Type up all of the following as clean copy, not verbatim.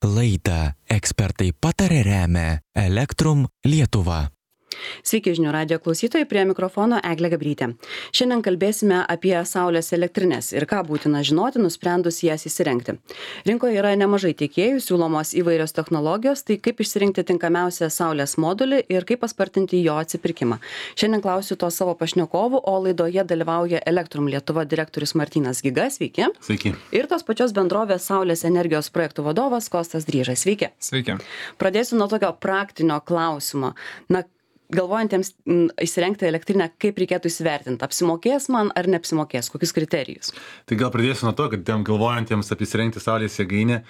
Laidą ekspertai patarė remia Elektrum Lietuva. Sveiki žinių radijo klausytojai, prie mikrofono Eglė Gabrytė. Šiandien kalbėsime apie saulės elektrinės ir ką būtina žinoti, nusprendus jas įsirengti. Rinkoje yra nemažai tiekėjų, siūlomos įvairios technologijos, tai kaip išsirinkti tinkamiausią saulės modulį ir kaip paspartinti jo atsipirkimą. Šiandien klausiu to savo pašnekovų, o laidoje dalyvauja Elektrum Lietuva direktorius Martynas Giga, sveiki. Sveiki. Ir tos pačios bendrovės Saulės energijos projektų vadovas Kostas Dryžas, sveiki. Sveiki. Pradėsiu nuo tokio praktinio klausimo. Galvojantiems įsirengti elektrinę, kaip reikėtų įsivertinti, apsimokės man ar neapsimokės, kokius kriterijus? Tai gal pradėsiu nuo to, kad tiem galvojantiems apie įsirengti saulės jėgainę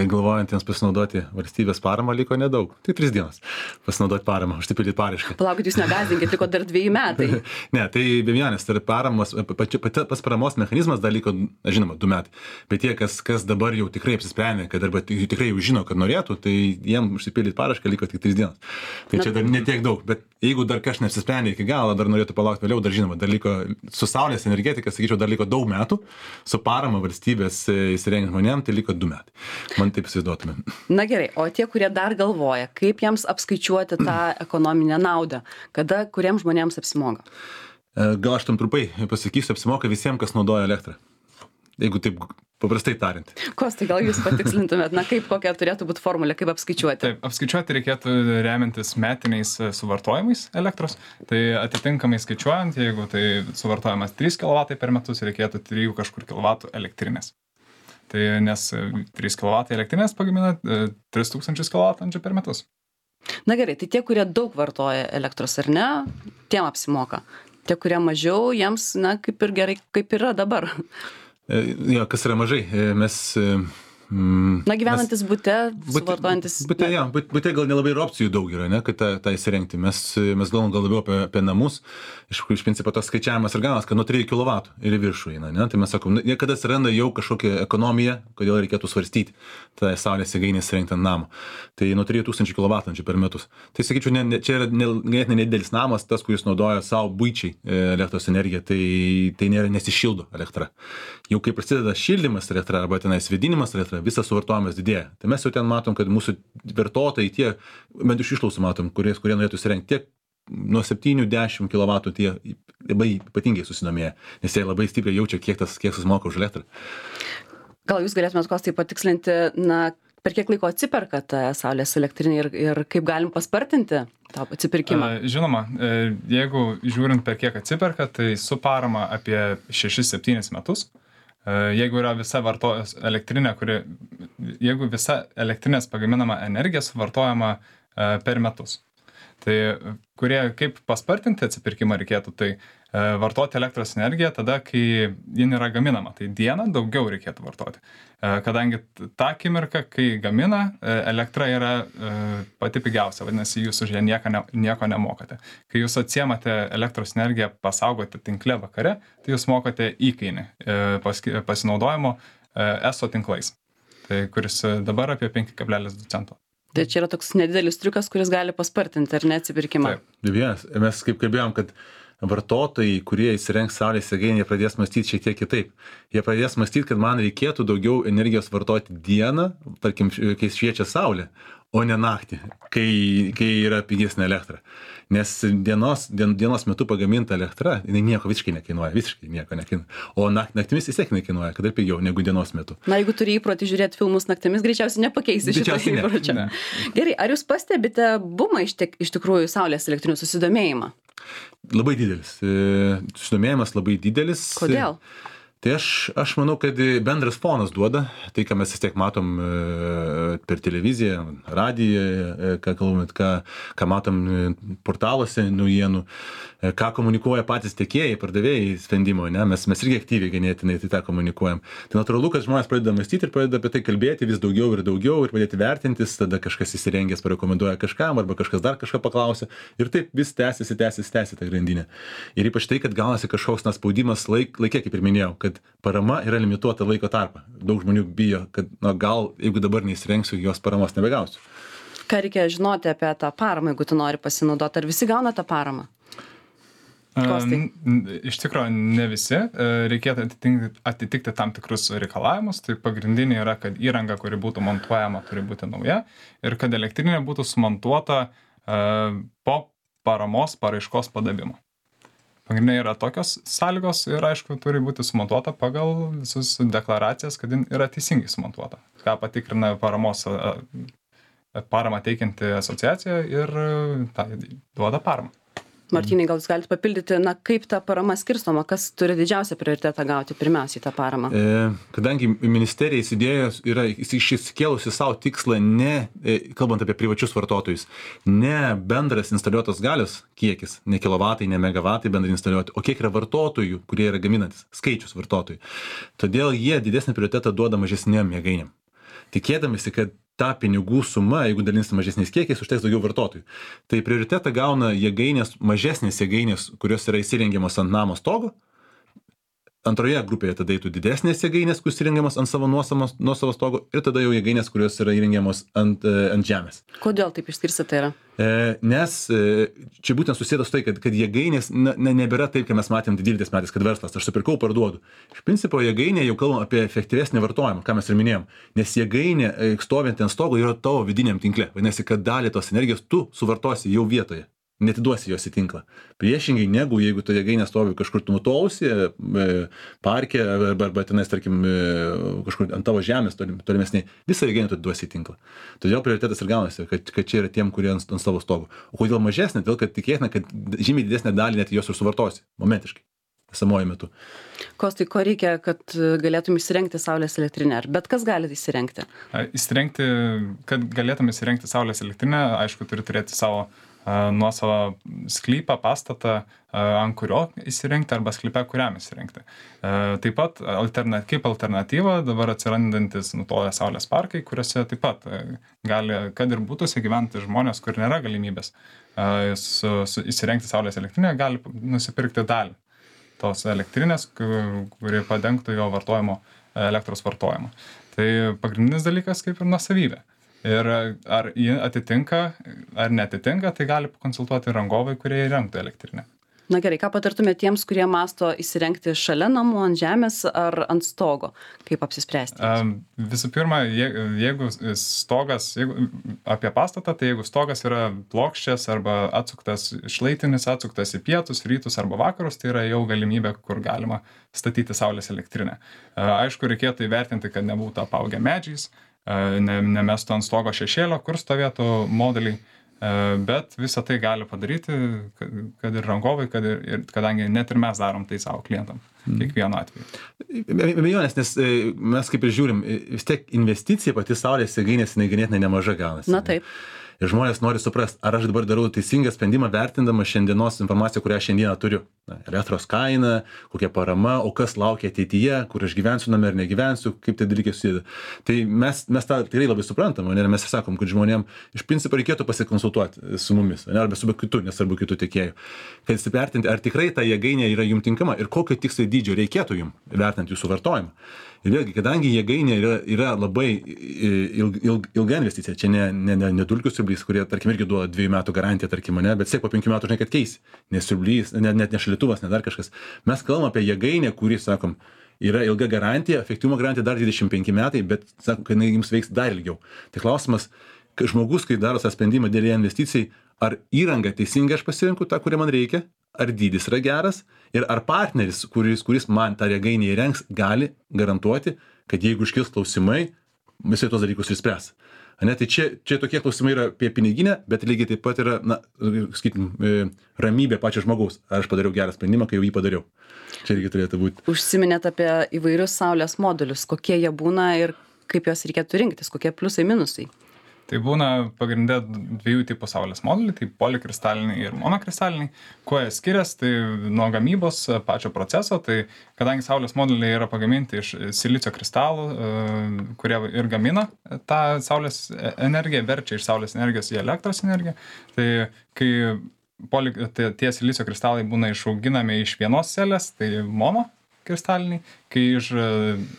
ir galvojantiems pasinaudoti valstybės paramą liko nedaug. Tai 3 dienos pasinaudoti paramą, užsipildyti paraišką. Palaukit, jūs negazinkit, liko dar 2 metai. Ne, tai be vienas, tai paramos, pas paramos mechanizmas dar liko, žinoma, 2 metai. Bet tie, kas dabar jau tikrai apsisprendė, kad arba tikrai jau žino, kad norėtų, tai jiem užsipildyti paraišką liko tik 3 dienos. Tai čia dar netiek daug, bet jeigu dar kažkas neapsisprendė iki galo, dar norėtų palaukti vėliau, dar žinoma, dar liko su saulės energetika, sakyčiau, dar liko daug metų, su parama valstybės įsirengiant žmonėm, tai liko 2 metai. Man taip įsivaizduotume. Na gerai, o tie, kurie dar galvoja, kaip jiems apskaičiuoti tą ekonominę naudą, kada kuriems žmonėms apsimoka? Gal aš tam trumpai pasakysiu, apsimoka visiems, kas naudoja elektrą. Jeigu taip paprastai tariant. Kostai, gal jūs patikslintumėt, kokia turėtų būti formulė, kaip apskaičiuoti? Taip, apskaičiuoti reikėtų remiantis metiniais suvartojimais elektros. Tai atitinkamai skaičiuojant, jeigu tai suvartojamas 3 kW per metus, reikėtų 3 kažkur kW elektrinės. Tai nes 3 kW elektrinės pagamina 3000 kWh per metus. Na gerai, tai tie, kurie daug vartoja elektros ar ne, tiem apsimoka. Tie, kurie mažiau, jiems, kaip ir gerai, kaip yra dabar. Jo, kas yra mažai, mes... Gyvenantis bute, suvartojantis... Bute gal nelabai ir opcijų daug yra, ne, kad tą įsirengti. Mes galvom gal labiau apie namus. Iš principo tas skaičiavimas ir ganas, kad nuo 3 kW ir į viršų eina, ne. Tai mes sakom, niekada atsiranda jau kažkokia ekonomija, kodėl reikėtų svarstyti tą saulės jėgainę įsirengti ant namo. Tai nuo 3000 kWh per metus. Tai sakyčiau, čia yra nedidelis namas, tas, kuris naudoja savo buičiai elektros energiją, tai nėra nesišildo elektra. Jau kai prasideda šildymas elektra arba tenais vėdinimas elektra, visas suvartojimas didėja. Tai mes jau ten matom, kad mūsų vartotojai tie, bent iš išklausų matom, kurie norėtų įsirengti tiek nuo 7-10 kW tie labai ypatingai susidomėję, nes jie labai stipriai jaučia, kiek susimoka už elektrą. Gal jūs galėtumėt Kostai patikslinti, per kiek laiko atsiperka ta saulės elektrinė ir kaip galim paspartinti tą atsipirkimą? Žinoma, jeigu žiūrint per kiek atsiperka, tai su parama apie 6-7 metus. Jeigu yra visa elektrinė, jeigu visa elektrinės pagaminama energija suvartojama per metus. Tai kaip paspartinti atsipirkimą reikėtų, tai vartoti elektros energiją tada, kai ji yra gaminama. Tai dieną daugiau reikėtų vartoti. Kadangi tą akimirką, kai gamina, elektra yra pati pigiausia, vadinasi, jūs už ją nieko nemokate. Kai jūs atsiemate elektros energiją pasaugoti tinkle vakare, tai jūs mokate įkainį pasinaudojimo ESO tinklais, tai kuris dabar apie 5,2 cento. Tai čia yra toks nedidelis triukas, kuris gali paspartinti ar ne atsipirkimą. Taip. Mes kaip kalbėjom, kad vartotojai, kurie įsirengs saulės jėgainę, jie pradės mąstyti šiek tiek kitaip. Jie pradės mąstyti, kad man reikėtų daugiau energijos vartoti dieną, tarkim, kai šviečia saulė, o ne naktį, kai yra pigesnė elektra. Nes dienos metu pagaminta elektra, jinai nieko visiškai nieko nekainuoja. O naktimis vis tiek nekainuoja, kad ir pigiau negu dienos metu. Jeigu turi įprotį žiūrėti filmus naktimis, greičiausiai nepakeisi šitą įprotį. Gerai, ar jūs pastebite bumą iš tikrųjų saulės elektrinių susidomėjimą? Labai didelis. Susidomėjimas labai didelis. Kodėl? Tai aš manau, kad bendras fonas duoda, tai ką mes vis tiek matom per televiziją, radiją, ką matom portaluose naujienų, ką komunikuoja patys tiekėjai, pardavėjai sprendimo, ne? Mes irgi aktyviai ganėtinai tą komunikuojam. Tai natūralu, kad žmonės pradeda mąstyti ir pradeda apie tai kalbėti vis daugiau ir pradėti vertintis, tada kažkas įsirengęs parekomenduoja kažkam arba kažkas dar kažką paklausia ir taip vis tęsiasi ta grandinė. Ir ypač tai, kad gaunasi kažkoks spaudimas laikė, kaip ir minėjau, kad parama yra limituota laiko tarpą. Daug žmonių bijo, kad gal jeigu dabar neįsirengsiu, jos paramos nebegausiu. Ką reikia žinoti apie tą paramą, jeigu tu nori pasinaudoti? Ar visi gauna tą paramą? Iš tikrųjų, ne visi. Reikėtų atitikti tam tikrus reikalavimus. Tai pagrindiniai yra, kad įranga, kuri būtų montuojama, turi būti nauja ir kad elektrinė būtų sumontuota po paramos paraiškos padavimo. Pagrindiniai yra tokios sąlygos ir, aišku, turi būti sumontuota pagal visus deklaracijas, kad yra teisingai sumontuota. Ką patikrina paramą teikianti asociacija ir duoda paramą. Martynai, gal jūs galite papildyti, kaip ta parama skirstoma, kas turi didžiausią prioritetą gauti pirmiausiai tą paramą? Kadangi ministerija įsidėjus yra išsikėlusi savo tikslą kalbant apie privačius vartotojus, ne bendras instaliuotos galios kiekis, ne kilovatai, ne megavatai bendrai instaliuoti, o kiek yra vartotojų, kurie yra gaminantis, skaičius vartotojų. Todėl jie didesnį prioritetą duoda mažesnėm jėgainėm. Tikėdamasi, kad ta pinigų suma, jeigu dalinsi mažesniais kiekiais, užteks daugiau vartotojų. Tai prioritetą gauna mažesnės jėgainės, kurios yra įsirengiamos ant namo stogo. Antroje grupėje tada eitų didesnės jėgainės, kurios įrengiamos ant savo nuosavo stogo ir tada jau jėgainės, kurios yra įrengiamos ant žemės. Kodėl taip išskirstyta tai yra? Nes čia būtent susėda su tai, kad jėgainės nebėra taip, kai mes matėm 12 metais, kad verslas, aš supirkau, parduodu. Iš principo jėgainė jau kalbam apie efektyvesnį vartojimą, ką mes ir minėjom. Nes jėgainė stovinti ant stogo yra tavo vidiniam tinkle. Vadinasi, kad dalį tos energijos tu suvartosi jau vietoje. Netiduosi jos į tinklą. Priešingai negu jeigu tu jėgainė stovi kažkur nutolusi, parke arba tenais, tarkim, kažkur ant tavo žemės tolimesniai, visą jėgainę tu atiduosi į tinklą. Todėl prioritetas ir gaunasi, kad čia yra tiem, kurie ant savo stogo. O kodėl mažesnė? Todėl, kad tikėtina, kad žymiai didesnę dalį net jos ir suvartosi, momentiškai, esamuoju metu. Kostai, ko reikia, kad galėtum įsirengti saulės elektrinę? Ar bet kas gali įsirengti? Kad galėtum įsirengti saulės elektrinę, aišku, turi turėti savo nuosavą sklypą, pastatą, ant kurio įsirengti arba sklype, kuriam įsirengti. Taip pat kaip alternatyva dabar atsirandantis nutolę saulės parkai, kuriuose taip pat gali, kad ir būtųsi gyventi žmonės, kur nėra galimybės įsirengti saulės elektrinę, gali nusipirkti dalį tos elektrinės, kuri padengtų jo elektros vartojimo. Tai pagrindinis dalykas kaip ir nuosavybė. Ir ar jį atitinka, ar neatitinka, tai gali pakonsultuoti rangovai, kurie įrengtų elektrinę. Na gerai, ką patartumėte tiems, kurie masto įsirengti šalia namų, ant žemės ar ant stogo? Kaip apsispręsti? Visų pirma, jeigu apie pastatą, tai jeigu stogas yra plokščias arba šlaitinis atsuktas į pietus, rytus arba vakarus, tai yra jau galimybė, kur galima statyti saulės elektrinę. Aišku, reikėtų įvertinti, kad nebūtų apaugę medžiais, nemestų ant stogo šešėlio, kur stovėtų modeliai, bet visą tai gali padaryti, kad ir rangovai, kadangi net ir mes darom tai savo klientam, kiekvienu atveju. Abejonės, nes mes kaip ir žiūrim, vis tiek investicija pati saulės jėgainės ganėtinai nemaža gaunasi. Na taip. Ir žmonės nori suprasti, ar aš dabar darau teisingą sprendimą vertindama šiandienos informaciją, kurią šiandieną turiu. Elektros kaina, kokia parama, o kas laukia ateityje, kur aš gyvensiu name ar negyvensiu, kaip tai dalykai susideda. Tai mes tą tikrai labai suprantam, ir mes sakom, kad žmonėms iš principo reikėtų pasikonsultuoti su mumis, arba su kitu, nesvarbu kitų tiekėjų, kad įsivertinti, ar tikrai ta jėgainė yra jums tinkama ir kokio tikslo dydžio reikėtų jums vertinti jūsų vartojimą. Ir vėlgi, kadangi jėgainė yra labai ilga investicija, čia ne dulkių siurblys, kurie, tarkim, irgi duoda 2 metų garantiją, tarkim, bet siek po 5 metų, žinai, kad keisi, nes siurblys, net ne šaldytuvas, ne dar kažkas. Mes kalbam apie jėgainę, kuri, sakom, yra ilga garantija, efektyvumo garantija dar 25 metai, bet, sakom, kad jums veiks dar ilgiau. Tai klausimas, kad žmogus, kai daro tą sprendimą dėl investicijai, ar įranga teisingai aš pasirinku tą, kurią man reikia, ar dydis yra geras ir ar partneris, kuris man tą jėgainę įrengs, gali garantuoti, kad jeigu iškils klausimai, visai tos dalykus išspręs. Tai čia tokie klausimai yra apie piniginę, bet lygiai taip pat yra, ramybė pačio žmogaus. Ar aš padariau gerą sprendimą, kai jau jį padariau. Čia irgi turėtų būti. Užsiminėt apie įvairius saulės modulius, kokie jie būna ir kaip juos reikėtų rinktis, kokie pliusai, minusai. Tai būna pagrindė 2 tipų saulės moduliai, tai polikristaliniai ir monokristaliniai. Kuo jie skiriasi, tai nuo gamybos pačio proceso, tai kadangi saulės moduliai yra pagaminti iš silicio kristalų, kurie ir gamina tą saulės energiją, verčia iš saulės energijos į elektros energiją, tai kai tie silicio kristalai būna išauginami iš vienos celės, tai kristaliniai, kai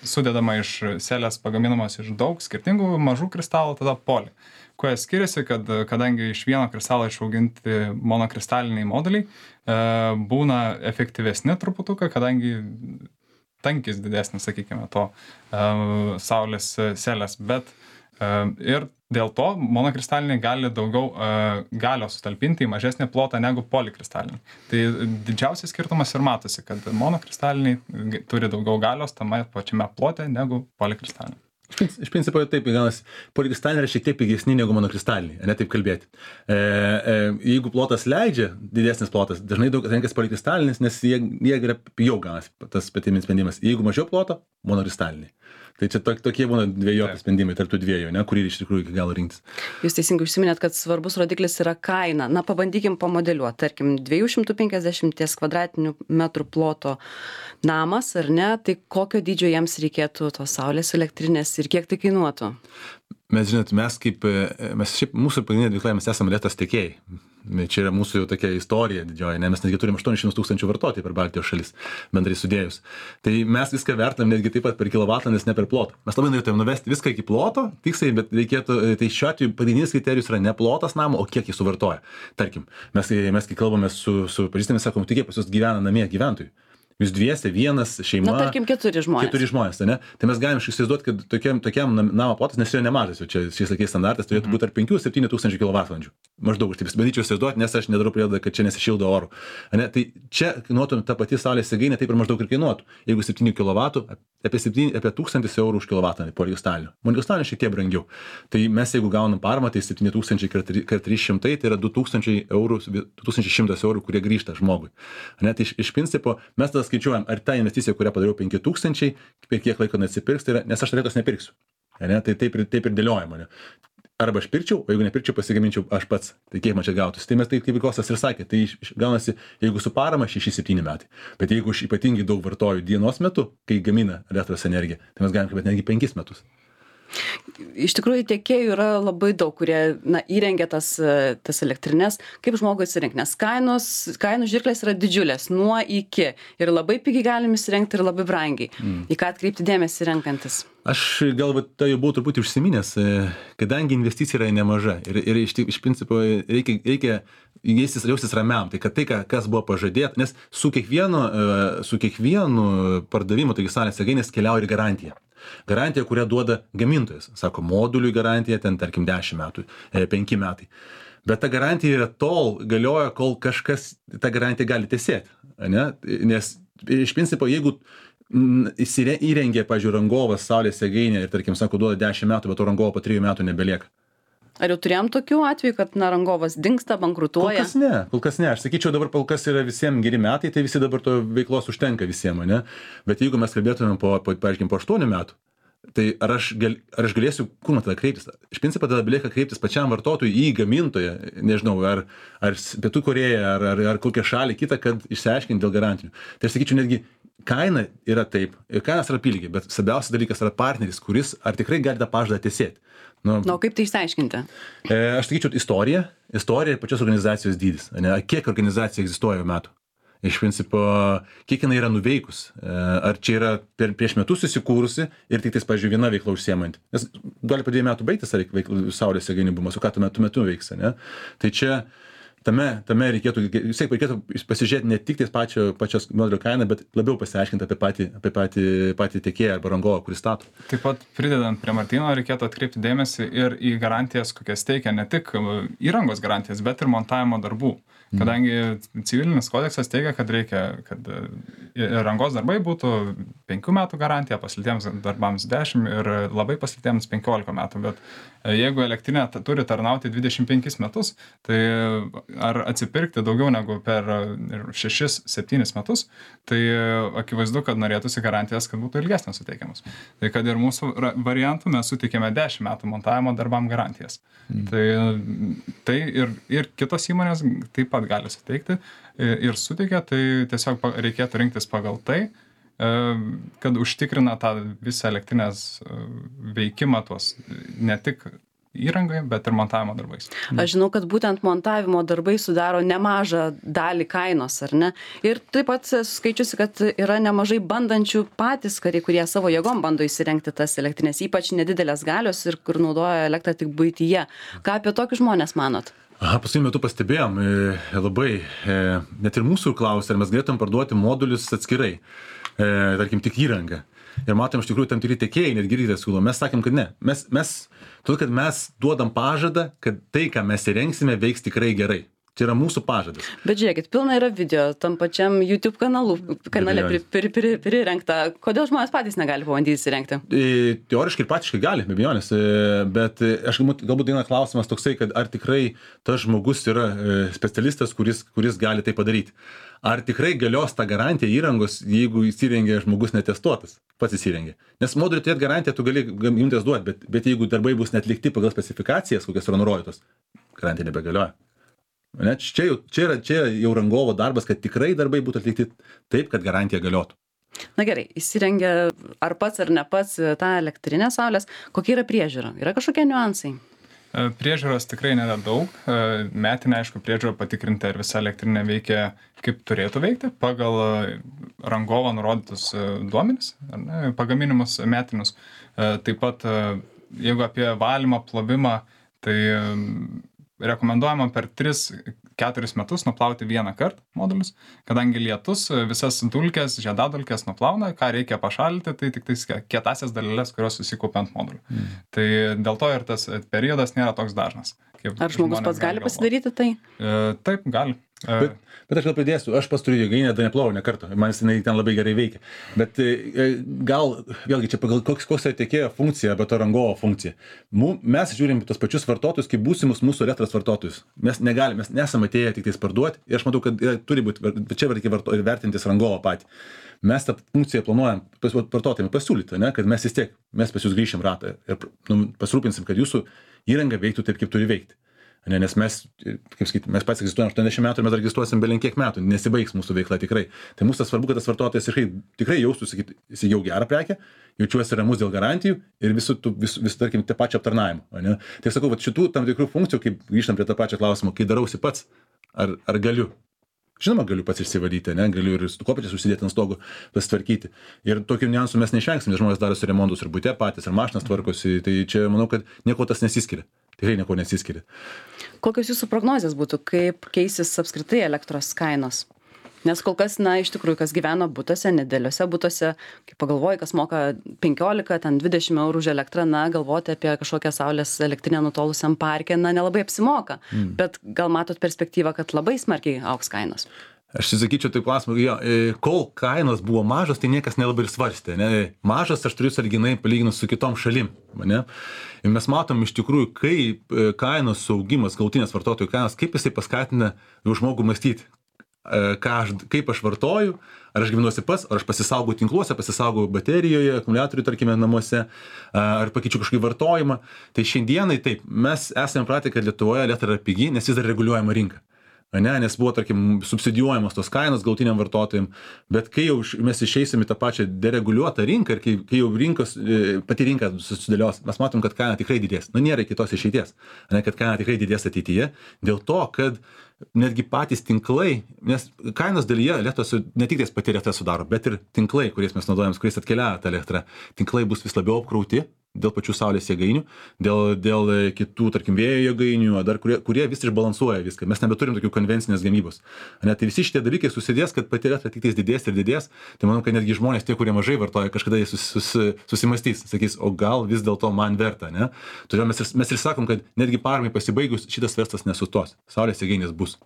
sudedama iš selės pagaminamos iš daug skirtingų mažų kristalų, tada poli. Kuo jie skiriasi, kadangi iš vieno kristalo išauginti monokristaliniai moduliai būna efektyvesni truputuką, kadangi tankis didesnis, sakykime, to saulės selės, bet ir dėl to monokristaliniai gali daugiau galios sutalpinti į mažesnį plotą negu polikristaliniai. Tai didžiausias skirtumas ir matosi, kad monokristaliniai turi daugiau galios tame pačiame plote negu polikristaliniai. Iš principo taip, polikristaliniai yra šiek tiek pigesni negu monokristaliniai, ne taip kalbėti. Jeigu plotas leidžia, didesnis plotas, dažnai daug renkasi polikristalinis, nes jie yra pigiau ganas, tas patimis sprendimas. Jeigu mažiau ploto, monokristaliniai. Tai čia tokie būna dviejopi sprendimai tarp tų dviejų, kurį iš tikrųjų iki galo rinktis. Jūs teisingai užsiminėt, kad svarbus rodiklis yra kaina. Na, pabandykim pamodeliuoti. Tarkim, 250 kvadratinių metrų ploto namas, ar ne? Tai kokio dydžio jiems reikėtų tos saulės elektrinės ir kiek tai kainuotų? Mes, žinot, mūsų pagrindinė veikla, mes esame elektros tiekėjai. Čia yra mūsų jau tokia istorija didžioji, mes netgi turim 800 tūkstančių vartotojų per Baltijos šalis, bendrai sudėjus. Tai mes viską vertinam netgi taip pat per kilovatvalandes, ne per plotą. Mes labai norėtume nuvesti viską iki ploto, tiksliai, bet reikėtų, tai šiuo atveju pagrindinis kriterijus yra ne plotas namo, o kiek jis suvartoja. Tarkim, mes kai kalbame su pažįstami, sakom, tai kiek pas jūs gyvena namie gyventojų. Jūs dviese, vienas, šeima. Na, tarkim, 4 žmonės. 4 žmonės, ne? Tai mes galim įsivaizduoti, kad tokiam namo plotas, nes yra nemažas, jau čia šiais laikais standartas turėtų būti tarp 5-7 tūkstančių kWh. Maždaug, aš taip bandyčiau įsivaizduoti, nes aš nedarau prielaidą, kad čia nesišildo orų. Ne? Tai čia kainuotų ta pati saulės jėgainė, taip ir maždaug ir kainuotų. Jeigu 7 kW, apie 1000 eurų už kilovatvalandę polikristalinių. Monokristalinių šiek tiek brangiau. Tai mes jeigu gaunam paramą, tai 7000 x 300, tai yra 2100 eurų, kurie grįžta žmogui. Ne? Tai iš principo mes tada skaičiuojam, ar ta investicija, kurią padariau 5000, per kiek laiko neatsipirks, tai yra, nes aš elektros nepirksiu. Ne? Tai taip ir dėliojama. Ne? Arba aš pirkčiau, o jeigu nepirkčiau, pasigaminčiau aš pats. Tai kiek man čia gautųsi. Tai mes taip, kaip Kostas ir sakė, tai gaunasi, jeigu su parama 6-7 metai. Bet jeigu aš ypatingai daug vartoju dienos metu, kai gamina elektros energiją, tai mes galim kalbėti netgi 5 metus. Iš tikrųjų, tiekėjų yra labai daug, kurie įrengia tas elektrinės. Kaip žmogui atsirinkti? Nes kainų žirklės yra didžiulės, nuo iki. Ir labai pigiai galim įsirengti ir labai brangiai. Į ką atkreipti dėmesį renkantis? Aš galbūt tai jau buvau truputį užsiminęs, kadangi investicija yra nemaža ir iš principo reikia jaustis ramiam, tai kad tai, kas buvo pažadėta, nes su kiekvienu pardavimu, taigi saulės jėgainės keliauja ir garantija. Garantija, kurią duoda gamintojas. Sako, moduliui garantija, ten tarkim 10 metų, 5 metai. Bet ta garantija yra tol galioja, kol kažkas tą garantiją gali tesėti. Nes iš principo, jeigu įrengia, pavyzdžiui, rangovas saulės jėgainę ir, tarkim, sako, duoda 10 metų, bet to rangovo po 3 metų nebelieka. Ar jau turėjom tokių atvejų, kad rangovas dingsta, bankrutuoja? Kol kas ne. Aš sakyčiau, dabar kol kas yra visiems geri metai, tai visi dabar to veiklos užtenka visiems, ne? Bet jeigu mes kalbėtumėm po 8 metų, tai ar aš galėsiu, kur man tada kreiptis? Iš principo tada belieka kreiptis pačiam vartotojui į gamintoją, nežinau, ar Pietų Korėją, ar kokią šalį kitą, kad išsiaiškinti dėl garantijų. Tai aš sakyčiau, netgi kaina yra taip, ir kainas yra pilgiai, bet svarbiausias dalykas yra partneris, kuris ar tikrai gali tą pažadą tesėti. Na, kaip tai išsiaiškinti? Aš sakyčiau, istorija ir pačios organizacijos dydis. Kiek organizacija egzistuoja metų? Iš principo, kiek jinai yra nuveikus. Ar čia yra prieš metus įsikūrusi ir tik tais, pavyzdžiui, viena veikla užsiemanti. Nes gali po 2 metų baigtis saulės jėgainių bumas, o ką tuo metu veiks. Ne? Tai čia tame reikėtų pasižiūrėti ne tik tais pačios modelio kainą, bet labiau pasiaiškinti apie patį tiekėją arba rangovą, kuris stato. Taip pat pridedant prie Martyno, reikėtų atkreipti dėmesį ir į garantijas, kokias teikia ne tik įrangos garantijas, bet ir montavimo darbų. Kadangi civilinis kodeksas teigia, kad reikia, kad rangos darbai būtų 5 metų garantija, paslėtiems darbams 10 ir labai paslėtiems 15 metų. Bet jeigu elektrinė turi tarnauti 25 metus, tai ar atsipirkti daugiau negu per 6-7 metus, tai akivaizdu, kad norėtųsi garantijas, kad būtų ilgesnės suteikiamas. Tai kad ir mūsų variantų mes suteikėme 10 metų montavimo darbam garantijas. Tai ir kitos įmonės taip pat gali suteikti ir suteikia, tai tiesiog reikėtų rinktis pagal tai, kad užtikrina tą visą elektrinės veikimą, tuos ne tik įrangai, bet ir montavimo darbais. Aš žinau, kad būtent montavimo darbai sudaro nemažą dalį kainos, ar ne? Ir taip pat skaičiusi, kad yra nemažai bandančių patys kariai, kurie savo jėgom bando įsirengti tas elektrinės, ypač nedidelės galios ir kur naudoja elektrą tik buityje. Ką apie tokius žmonės manot? Paskutiniu metu pastebėjom labai, net ir mūsų klausė, ar mes galėtum parduoti modulius atskirai, tarkim, tik įrangą. Ir matom, iš tikrųjų, tam tikri tiekėjai net girdite siūlo. Mes sakėm, kad ne. Todėl, kad mes duodam pažadą, kad tai, ką mes įrengsime, veiks tikrai gerai. Tai yra mūsų pažadas. Bet žiūrėkit, pilna yra video tam pačiam YouTube kanale prirengta. Kodėl žmonės patys negali pabandyti įsirengti? Teoriškai ir praktiškai gali, be abejonės. Bet aš galbūt vienas klausimas toksai, kad ar tikrai tas žmogus yra specialistas, kuris gali tai padaryti. Ar tikrai galios ta garantija įrangos, jeigu įsirengia žmogus netestuotas, pats įsirengia. Nes moduliui turėt garantiją, tu gali imtis duoti, bet jeigu darbai bus netlikti pagal specifikacijas, kokios yra nurodytos, garantija nebegalioja. Ne, čia jau rangovo darbas, kad tikrai darbai būtų atlikti taip, kad garantija galiotų. Na gerai, įsirengia ar pats ar ne pats tą elektrinę saulės, kokia yra priežiūra? Yra kažkokie niuansai? Priežiūros tikrai nėra daug. Metinė, aišku, priežiūra patikrinti, ar visa elektrinė veikia kaip turėtų veikti, pagal rangovo nurodytus duomenis, pagaminimus metinius. Taip pat, jeigu apie valymą, plovimą, tai rekomenduojama per 3-4 metus nuplauti vieną kartą modulius, kadangi lietus visas dulkes, žiedadulkes nuplauna, ką reikia pašalinti, tai tik tais kietasias dalelės, kurios susikaupia ant modulių. Tai dėl to ir tas periodas nėra toks dažnas. Ar žmogus pats gali pasidaryti tai? Taip, gali. Bet aš gal pridėsiu, aš pats turiu jėgainę, dar neplovau ne kartą, man jinai ten labai gerai veikia. Bet gal, vėlgi, čia pagal koks yra tiekėjo funkcija, bet to rangovo funkcija. Mes žiūrim tos pačius vartotojus, kaip būsimus mūsų elektros vartotojus. Mes nesame atėję tik tais parduoti ir aš matau, kad turi būti, bet čia reikia vertintis rangovo patį. Mes tą funkciją planuojam vartotojams pasiūlyti, ne, kad mes pas jūs grįšim ratą ir pasirūpinsim, kad jūsų įranga veiktų taip, kaip turi veikti. Nes mes, kaip sakyti, mes pats egzistuojam 80 metų ir mes registruosim belenkiek metų, nesibaigs mūsų veikla tikrai. Tai mūsų svarbu, kad tas vartotojas tikrai jaustųsi, jis jau gerą prekę, jaučiuosi ramus dėl garantijų ir visų, tarkim, tą pačią aptarnavimą. Tai sakau, šitų tam tikrų funkcijų, kaip grįžtam prie tą pačią klausimą, kai darausi pats, ar galiu. Žinoma, galiu pats išsivalyti, galiu ir su kopėčiais užsidėti ant stogo, pasitvarkyti. Ir tokių niuansų mes neišvengsim, nes žmonės darosi remontus ir bute patys, ir mašinas tvarkosi. Tai čia manau, kad nieko tas nesiskiria. Tikrai nieko nesiskiria. Kokios jūsų prognozės būtų, kaip keisis apskritai elektros kainos? Nes kol kas, iš tikrųjų, kas gyvena butuose, nedėliuose butuose, kai pagalvoji, kas moka 15, ten 20 eurų už elektrą, galvoti apie kažkokią saulės elektrinę nutolusiam parke, nelabai apsimoka. Bet gal matot perspektyvą, kad labai smarkiai augs kainos? Aš sakyčiau, tai klausimą, kol kainos buvo mažos, tai niekas nelabai ir svarstė. Mažas aš turiu sąlyginai palyginus su kitom šalim. Ir mes matom iš tikrųjų, kaip kainos augimas, galutinės vartotojų kainos, kaip jisai paskatina žmogų mąstyti. Kaip aš vartoju, ar aš gyvenuosi pats, ar aš pasisaugau tinkluose, pasisaugau baterijoje, akumuliatorių, tarkime, namuose, ar pakeičiu kažkokį vartojimą. Tai šiandienai taip, mes esame pratę, kad Lietuvoje elektra yra pigi, nes vis dar reguliuojama rinka. Nes buvo, tarkim, subsidijuojamos tos kainos galutiniam vartotojim, bet kai jau mes išeisim į tą pačią dereguliuotą rinką ir kai jau pati rinka susidėlios, mes matom, kad kaina tikrai didės. Nėra kitos išeities, kad kaina tikrai didės ateityje, dėl to, kad netgi patys tinklai, nes kainos dalyje elektros ne tik tais pati elektra sudaro, bet ir tinklai, kuriais mes naudojam, kuriais atkeliauja ta elektra, tinklai bus vis labiau apkrauti dėl pačių saulės jėgainių, dėl kitų, tarkim, vėjo jėgainių, dar kurie vis išbalansuoja viską. Mes nebeturim tokių konvencinės gamybos. Tai visi šitie dalykai susidės, kad pati elektra tik tais didės ir didės. Tai manau, kad netgi žmonės, tie, kurie mažai vartoja, kažkada jie susimastys, sakys, o gal vis dėlto man verta, ne? Todėl mes ir sakom, kad netgi paramai pasibaigus šitas verslas nesustos. Saulės jėgainės bus.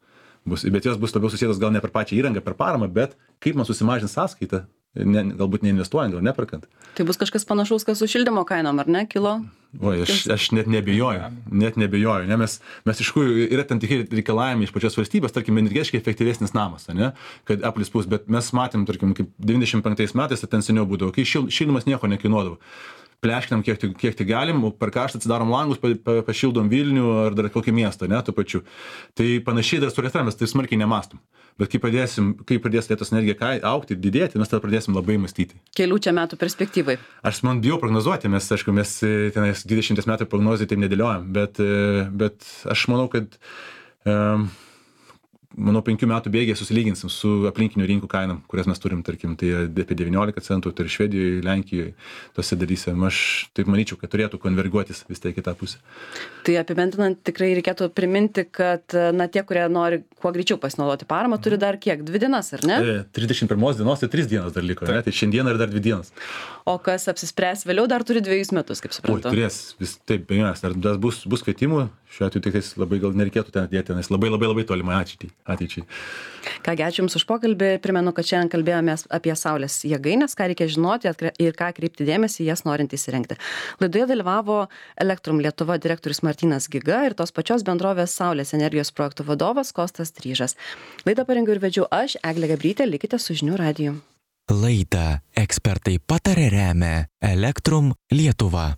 Bet jos bus labiau susijęs gal ne per pačią įrangą, per paramą, bet kaip man susimažins sąskaitą. Galbūt neinvestuojant, gal neperkant. Tai bus kažkas panašaus, kas su šildymo kainom, ar ne, kilo? Aš net nebejoju. Mes iš tikrųjų yra tam tikri reikalavimai iš pačios valstybės, tarkim, energetiškai efektyvesnis namas, kad aplis bus, bet mes matėm, tarkim, kaip 95 metais, ten seniau būdavo, kai šildymas nieko nekainuodavo. pleškinam kiek tik galim, o per karštą atsidarom langus, pašildom Vilnių ar dar kokį miestą, ne, tuo pačiu. Tai panašiai dar su elektra mes tai smarkiai nemastom. Bet kai pradės elektros energija augti ir didėti, mes tada pradėsim labai mąstyti. Kelių čia metų perspektyvai. Aš man bijau prognozuoti, mes tenais 20 metų prognozijai taip nedėliojam, bet aš manau, kad 5 metų bėgyje susilyginsim su aplinkinių rinkų kainam, kurias mes turim, tarkim, tai apie 19 centų, tai ir Švedijoje, Lenkijoje, tose dalyse. Aš taip manyčiau, kad turėtų konverguotis vis tiek į tą pusę. Tai apibendrinant, tikrai reikėtų priminti, kad tie, kurie nori kuo greičiau pasinaudoti paramą, turi dar kiek? 2 dienas, ar ne? 31 dienos, tai 3 dienos dar liko, ne? Tai šiandieną ir dar 2 dienas. O kas apsispręs vėliau, dar turi 2 metus, kaip suprantu. Turės, taip, bejonės, dar bus kvietimų, šiuo atveju tik labai gal nereikėtų ten dėti, nes labai tolimai ateičiai. Kągi, ačiū Jums už pokalbį. Primenu, kad šiandien kalbėjomės apie saulės jėgainės, ką reikia žinoti ir ką kreipti dėmesį jas norint įsirengti. Laidoje dalyvavo Elektrum Lietuva direktorius Martynas Giga ir tos pačios bendrovės Saulės energijos projektų vadovas Kostas Tryžas. Laidą parengiau ir vedžiau aš, Eglė Gabrytė, likite su Žinių radiju. Laidą ekspertai patarė remia Elektrum Lietuva.